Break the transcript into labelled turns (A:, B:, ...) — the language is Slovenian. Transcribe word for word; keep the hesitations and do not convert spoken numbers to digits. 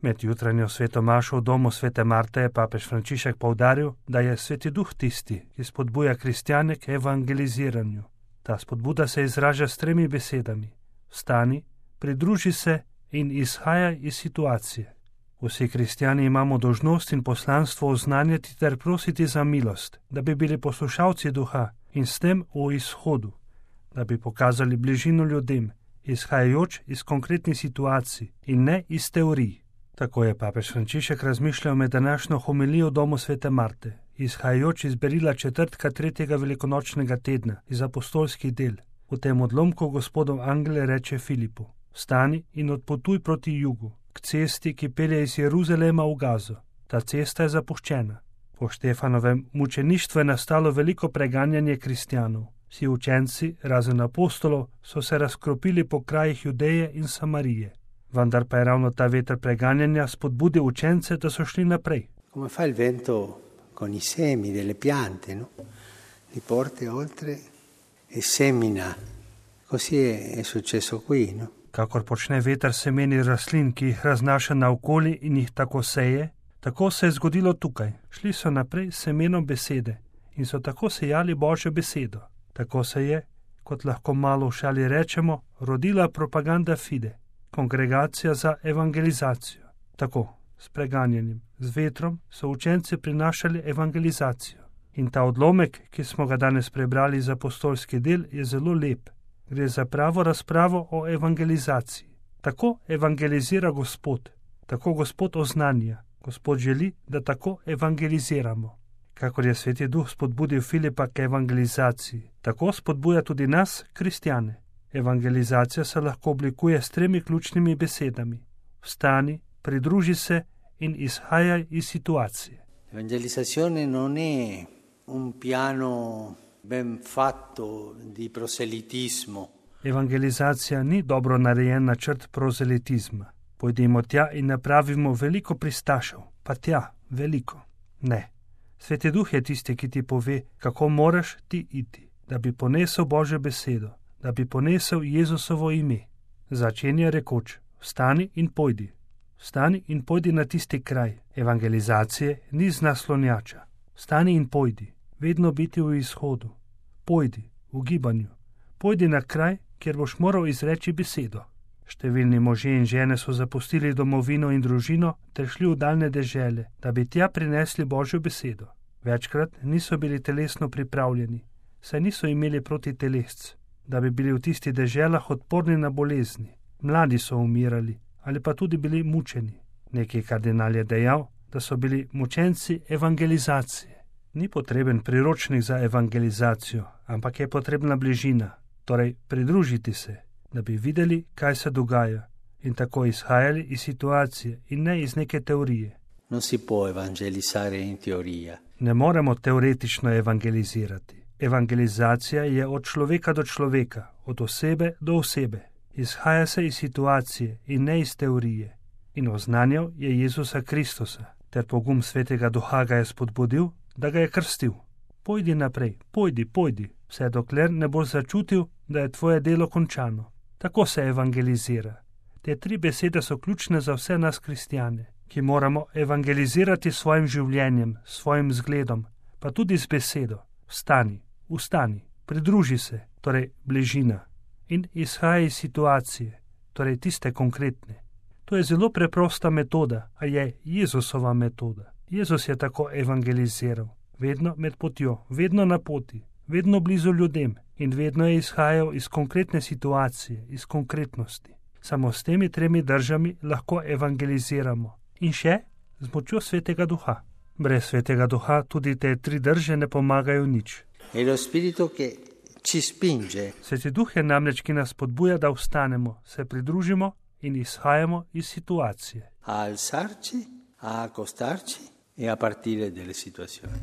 A: Med jutranjo sveto mašo v domu svete Marte je papež Frančišek poudaril, da je Sveti Duh tisti, ki spodbuja kristjane k evangeliziranju. Ta spodbuda se izraža s tremi besedami: vstani, pridruži se in izhajaj iz situacije. Vsi kristjani imamo dolžnost in poslanstvo oznanjati ter prositi za milost, da bi bili poslušalci duha in s tem v izhodu, da bi pokazali bližino ljudem, izhajajoč iz konkretnih situacij in ne iz teorij. Tako je papež Frančišek razmišljal med današnjo homilijo v domu svete Marte, izhajajoč iz berila četrtka tretjega velikonočnega tedna iz apostolskih del. V tem odlomku gospodov angel reče Filipu: vstani in odpotuj proti jugu, k cesti, ki pelje iz Jeruzalema v Gazo. Ta cesta je zapuščena. Po Štefanovem mučeništvu je nastalo veliko preganjanje kristjanov. Vsi učenci, razen apostolov, so se razkropili po krajih Judeje in Samarije. Vendar pa je ravno ta veter preganjanja spodbudil učence, da so šli naprej.
B: Come fa il vento con i semi delle piante, no? Li porta oltre e semina. Così è successo qui, no?
A: Kakor počne veter semeni rastlin, ki jih raznaša naokoli in jih tako seje, tako se je zgodilo tukaj. Šli so naprej s semenom besede in so tako sejali Božjo besedo. Tako se je, kot lahko malo v šali rečemo, rodila propaganda fide, kongregacija za evangelizacijo. Tako, s preganjanjem, z vetrom so učenci prinašali evangelizacijo. In ta odlomek, ki smo ga danes prebrali iz apostolskih del, je zelo lep. Gre za pravo razpravo o evangelizaciji. Tako evangelizira Gospod, tako Gospod oznanja. Gospod želi, da tako evangeliziramo. Kakor je Sveti Duh spodbudil Filipa k evangelizaciji, tako spodbuja tudi nas, kristjane. Evangelizacija se lahko oblikuje s tremi ključnimi besedami: vstani, pridruži se in izhajaj iz situacije.
B: Evangelizazione non è un piano ben fatto di proselitismo.
A: Evangelizacija ni dobro narejen načrt prozelitizma. Pojdimo tja in napravimo veliko pristašev, pa tja veliko. Ne. Sveti Duh je tisti, ki ti pove, kako moraš ti iti, da bi ponesel Božjo besedo, da bi ponesel Jezusovo ime. Začenja rekoč: vstani in pojdi. Vstani in pojdi na tisti kraj. Evangelizacije ni z naslonjača. Vstani in pojdi. Vedno biti v izhodu. Pojdi, v gibanju. Pojdi na kraj, kjer boš moral izreči besedo. Številni možje in žene so zapustili domovino in družino ter šli v daljne dežele, da bi tja prinesli Božjo besedo. Večkrat niso bili telesno pripravljeni, saj niso imeli proti telesc, da bi bili v tistih deželah odporni na bolezni. Mladi so umirali ali pa tudi bili mučeni. Neki kardinal je dejal, da so bili mučenci evangelizacije. Ni potreben priročnik za evangelizacijo, ampak je potrebna bližina, torej pridružiti se, da bi videli, kaj se dogaja in tako izhajali iz situacije in ne iz neke teorije.
B: Non si può evangelizzare in teoria.
A: Ne moremo teoretično evangelizirati. Evangelizacija je od človeka do človeka, od osebe do osebe. Izhaja se iz situacije in ne iz teorije. In oznanjal je Jezusa Kristusa, ter pogum Svetega Duha ga je spodbudil, da ga je krstil. Pojdi naprej, pojdi, pojdi, vse dokler ne boš začutil, da je tvoje delo končano. Tako se evangelizira. Te tri besede so ključne za vse nas kristjane, ki moramo evangelizirati svojim življenjem, svojim zgledom, pa tudi z besedo. Vstani, vstani, pridruži se, torej bližina, in izhaj iz situacije, torej tiste konkretne. To je zelo preprosta metoda, a je Jezusova metoda. Jezus je tako evangeliziral, vedno med potjo, vedno na poti, vedno blizu ljudem in vedno je izhajal iz konkretne situacije, iz konkretnosti. Samo s temi tremi držami lahko evangeliziramo in še z močjo Svetega Duha. Brez Svetega Duha tudi te tri drže ne pomagajo nič.
B: È lo spirito che ci spinge.
A: Sveti Duh je namreč, ki nas spodbuja, da vstanemo, se pridružimo in izhajamo iz situacije.
B: A alzarci, a accostarci e a partire dalle situazioni.